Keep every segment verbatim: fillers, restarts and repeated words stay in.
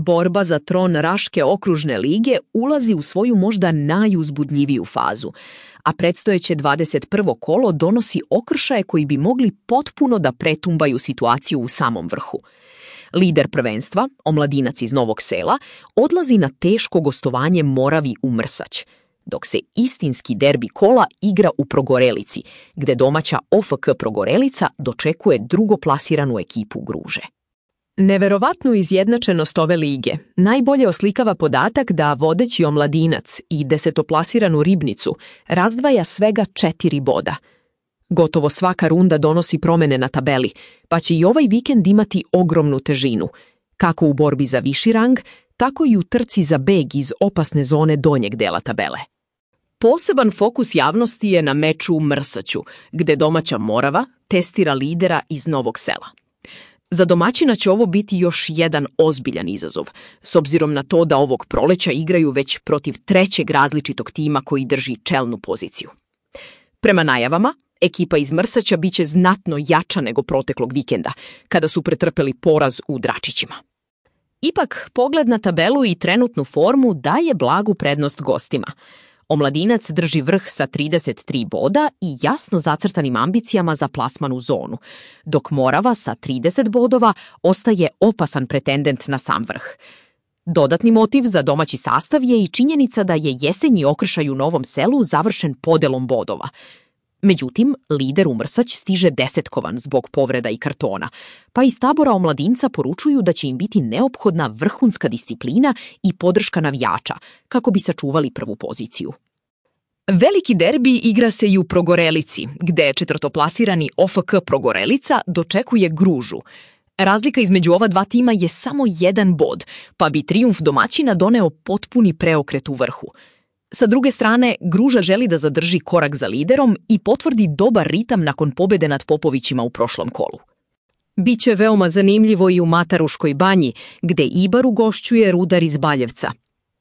Borba za tron Raške okružne lige ulazi u svoju možda najuzbudljiviju fazu, a predstojeće dvadeset prvo kolo donosi okršaje koji bi mogli potpuno da pretumbaju situaciju u samom vrhu. Lider prvenstva, Omladinac iz Novog Sela, odlazi na teško gostovanje Moravi u Mrsać, dok se istinski derbi kola igra u Progorelici, gde domaća O F K Progorelica dočekuje drugoplasiranu ekipu Gruže. Neverovatnu izjednačenost ove lige najbolje oslikava podatak da vodeći Omladinac i desetoplasiranu Ribnicu razdvaja svega četiri boda. Gotovo svaka runda donosi promene na tabeli, pa će i ovaj vikend imati ogromnu težinu, kako u borbi za viši rang, tako i u trci za beg iz opasne zone donjeg dela tabele. Poseban fokus javnosti je na meču u Mrsaću, gde domaća Morava testira lidera iz Novog Sela. Za domaćina će ovo biti još jedan ozbiljan izazov, s obzirom na to da ovog proleća igraju već protiv trećeg različitog tima koji drži čelnu poziciju. Prema najavama, ekipa iz Mrsaća biće znatno jača nego proteklog vikenda, kada su pretrpeli poraz u Dračićima. Ipak, pogled na tabelu i trenutnu formu daje blagu prednost gostima. Omladinac drži vrh sa trideset tri boda i jasno zacrtanim ambicijama za plasman u zonu, dok Morava sa trideset bodova ostaje opasan pretendent na sam vrh. Dodatni motiv za domaći sastav je i činjenica da je jesenji okršaj u Novom Selu završen podelom bodova. Međutim, lider u Mrsać stiže desetkovan zbog povreda i kartona, pa iz tabora Omladinca poručuju da će im biti neophodna vrhunska disciplina i podrška navijača, kako bi sačuvali prvu poziciju. Veliki derbi igra se i u Progorelici, gde četvrtoplasirani O F K Progorelica dočekuje Gružu. Razlika između ova dva tima je samo jedan bod, pa bi trijumf domaćina doneo potpuni preokret u vrhu. Sa druge strane, Gruža želi da zadrži korak za liderom i potvrdi dobar ritam nakon pobede nad Popovićima u prošlom kolu. Biće veoma zanimljivo i u Mataruškoj banji, gde Ibar ugošćuje Rudar iz Baljevca.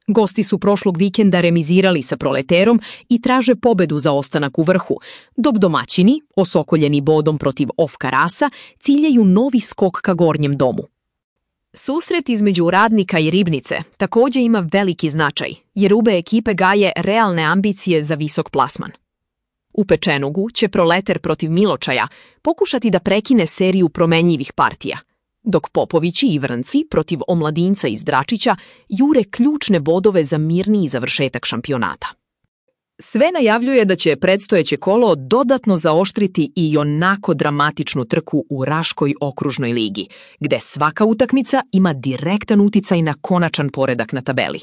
Gosti su prošlog vikenda remizirali sa Proleterom i traže pobedu za ostanak u vrhu, dok domaćini, osokoljeni bodom protiv O F K Rasa, ciljaju novi skok ka gornjem domu. Susret između Radnika i Ribnice također ima veliki značaj, jer obe ekipe gaje realne ambicije za visok plasman. U Pečenugu će Proleter protiv Miločaja pokušati da prekine seriju promenljivih partija, dok Popovići i Vrnci protiv Omladinca iz Dračića jure ključne bodove za mirniji završetak šampionata. Sve najavljuje da će predstojeće kolo dodatno zaoštriti i onako dramatičnu trku u Raškoj okružnoj ligi, gde svaka utakmica ima direktan uticaj na konačan poredak na tabeli.